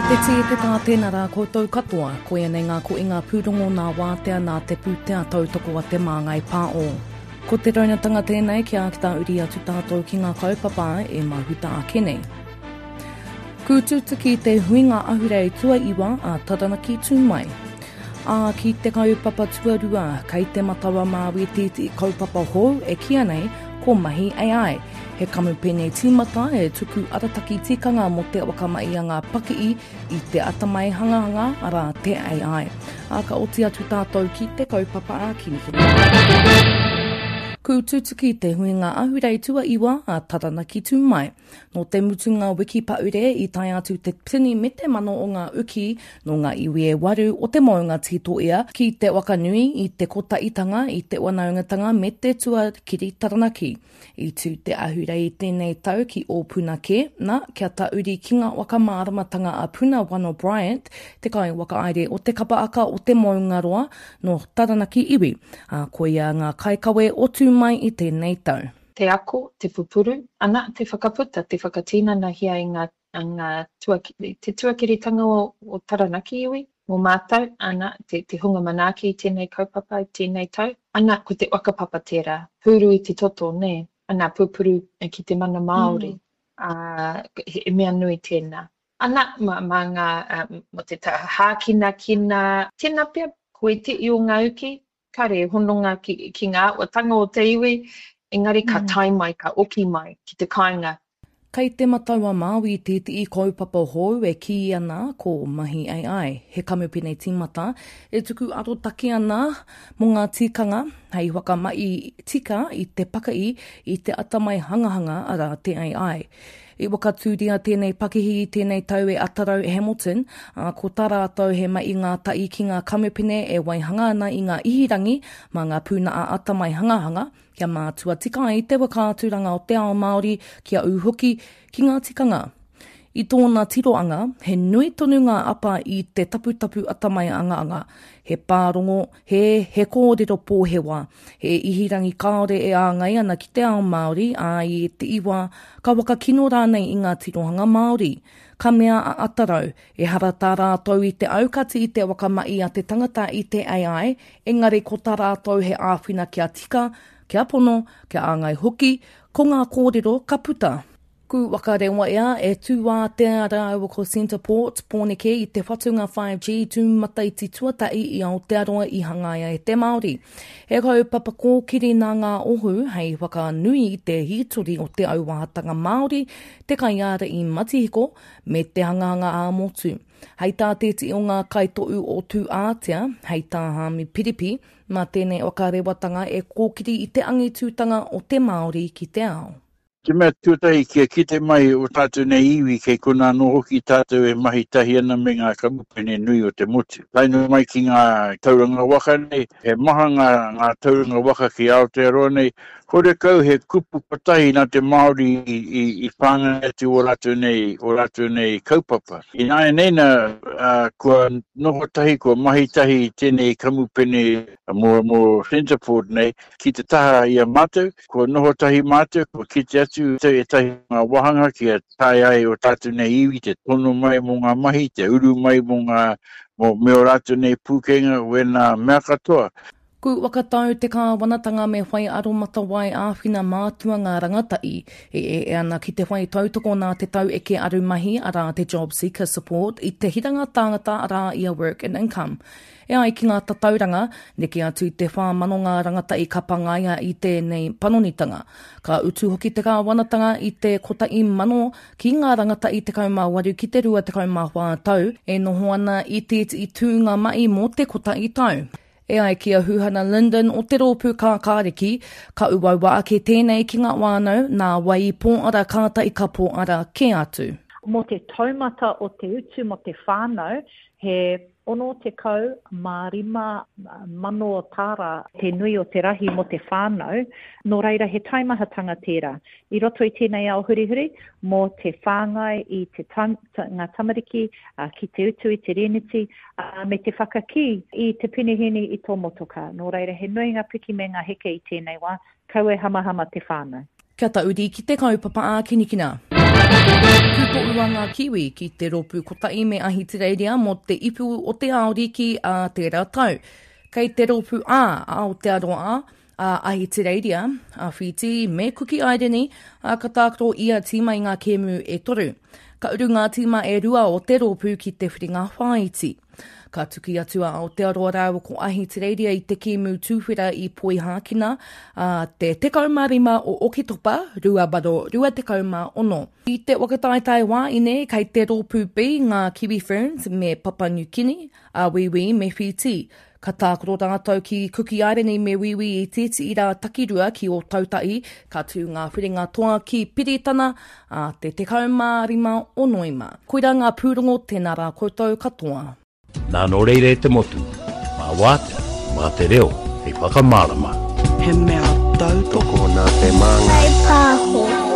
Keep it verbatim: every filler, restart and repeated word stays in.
Te tī, te tā, tēnā rā koutou katoa. Koia nei ngā koinga pūrongo nā wātea nā te pūtea tautoko a Te Māngai Pāo. Ko te raunatanga tēnei kia ākita uri atu tātou ki ngā kaupapa e mahuta ake nei. Kūtutuki te huinga ahurei tuaiwa a Taranaki Tū Mai. Ā, ki te kaupapa tuarua, kei Te Matau-a-Māui tētehi kaupapa hou e kīia nei ko Mahi AI. He kamupene tīmata e tuku arataki tikanga mō te whakamahi a ngā pakihi i te atamai hangahanga, arā, te AI. Ā, ka oti atu tātou ki te kaupapa ā-kinikini. Kūtutuki te huinga ahurei tuaiwa a Taranaki Tū Mai. Nō te mutunga wiki paure i tae atu te tini me te mano o ngā uki nō ngā iwi e waru o te mounga tītoia ki te wakanui i te kotaitanga, i te wanaungatanga me te tuakiri Taranaki. I tū te ahurei i tēnei tau ki Ōpunakē, nā, kia tauri ki ngā waka māramatanga a Puna Wano Bryant, te kaiwhakahaere o te kapa aka o te Moungaroa nō Taranaki iwi, ā, koia ngā kaikawe o Tū Mai i tēnei tau. Te ako, te pupuru, ana, te whakaputa, te whakatinanahia i ngā, ngā tuakiri, te tuakiritanga o, o Taranaki iwi, mō mātou, ana, te, te hunga manaaki i tēnei kaupapa, i tēnei tau, ana, ko te whakapapa tērā, pūru i te toto, nē, ana, pupuru ki te mana Māori, mm. ā, he mea nui tēnā. Ana, mā, mā ngā, mō te taha hākinakina, tēnā pea, ko ētehi o ngā uki, Kare hononga ki, ki ngā āhuatanga o te iwi, engari ka mm. tae mai, ka oki mai ki te kāinga. Kei Te Matau-a-Māui tētehi kaupapa hou e kī ana ko Mahi AI, he kamupene tīmata e tuku arotake ana mō ngā tikanga hei whakamahi tika i te pakihi i te atamai hangahanga arā te AI. I whakatūria tēnei pakihi i tēnei tau e Atarau Hamilton, ā, ko tā rātou he mahi ngātahi ki ngā kamupene e waihanga ana i ngā ihirangi mā ngā pūnaha atamai hangahanga, kia mātua tika ai te whakaaturanga o te ao Māori kia ū hoki ki ngā tikanga. I tōna tiroanga, he nui tonu ngā apa i te taputapu atamai angaanga, he pārongo, he he kōrero pōhewa, he ihirangi kāore e āngai ana ki te ao Māori, ā, i ētehi wā, ka whakakino rānei i ngā tirohanga Māori. Ka mea a Atarau, ehara tā rātou i te aukati i te whakamahi a te tangata i te AI, engari ko tā rātou he āwhina kia tika, kia pono, kia āngai hoki, ko ngā kōrero ka puta. Ku whakarewaia e Tūātea rāua ko Centreport, Pōneke i te whatunga five G tūmataiti tuatahi i Aotearoa i hangaia e te Māori. He kaupapa kōkiri nā ngā ohu hei whakanui i te hītori o te auahatanga Māori, te kaiārahi matihiko, me te hangahanga ā-motu. Hei tā tētehi o ngā kaitohu o Tūātea, hei tā Haami Piripi, mā tēnei whakarewatanga e kōkiri i te angitūtanga o te Māori ki te ao. Te mea tuatahi kia kite mai o tātou nei iwi kei konā anō hoki tātou e mahi tahi ana me ngā kamupene nui o te motu. Tae noa mai ki ngā tauranga waka nei, he maha ngā, ngā tauranga waka ki Aotearoa nei, horekau he kupu kotahi nā te Māori i, i, i whāngai atu o rātou nei, o rātou nei kaupapa. Ināianei nā, ā, kua noho tahi, kua mahi tahi tēnei kamupene mō, mō Centreport nei ki te taha i a mātou, Kua noho tahi mātou, kua kite atu ētahi o ngā wāhanga kia taea ai ō tātou nei iwi te tono mai mō ngā mahi, te uru mai mō ngā, mō, me ō rātou nei pūkenga, wēnā mea katoa. Ku whakatau te kāwanatanga me whai aromatawai āwhina mātua ngā rangatahi e ea ana ki te whai tautoko nā te taueke arumahi arā te JobSeeker Support i te hiranga tāngata arā i a Work and Income. E ai ki ngā tatauranga, neke atu i te whā mano ngā rangatahi ka pangaia i tēnei panonitanga. Ka utu hoki te kāwanatanga i te kotahi mano ki ngā rangatahi tekau mā waru ki te rua tekau mā whā tau e noho ana i tētehi tūnga mahi mō te kotahi tau. E ai ki a Huhana Lyndon o te Rōpū Kākāriki, ka uaua ake tēnei ki ngā whānau, nā wai i pōara kātahi ka pōara kē atu. Mō te taumata o te utu mō te whānau, he ono tekau mā rima mano tāra te nui o te rahi mō te whānau, nō reira he taimahatanga tērā. I roto i tēnei ao hurihuri, mō te whāngai i te ngā tamariki ki te utu i te rēneti, me te whakakī i te penehēni i tō motokā. Nō reira he nui ngā piki me ngā heke i tēnei wā, kaua e hamahama te whānau. Kia tauri ki te kaupapa ākinikina. Tūtoua ngā Kiwi ki te rōpū kotahi me Ahitereiria mō te Ipu o te Ao Riki ā tērā tau. Kei te rōpū A, a Aotearoa, a Ahitereiria, a Whītī me Kuki Aireni, ā, ka tākaro ia tīma i ngā kēmu e toru. Ka uru ngā tīma e rua o te rōpū ki te whiringa whāiti. Ka tuki atu a Aotearoa rāua ko Ahitereiria i te kēmu tuwhera i Poihākena ā te tekau mā rima o Oketopa rua mano rua tekau mā ono. I te whakataetae wāine kei te rōpū B ngā Kiwi Ferns me Papa New Kini, a Wīwī me Whītī. Ka tākaro rātou ki Kuki Airani me Wīwī i tētehi rā takirua ki Ōtautahi, ka tū ngā whiringa toa ki Piritana ā te tekau mā rima o Noema. Koirā ngā pūrongo, tēnā rā koutou katoa. Nā nō reira e te motu, mā wātea, mā te reo hei whakamārama. He mea tautoko nā te māngai. Pāho.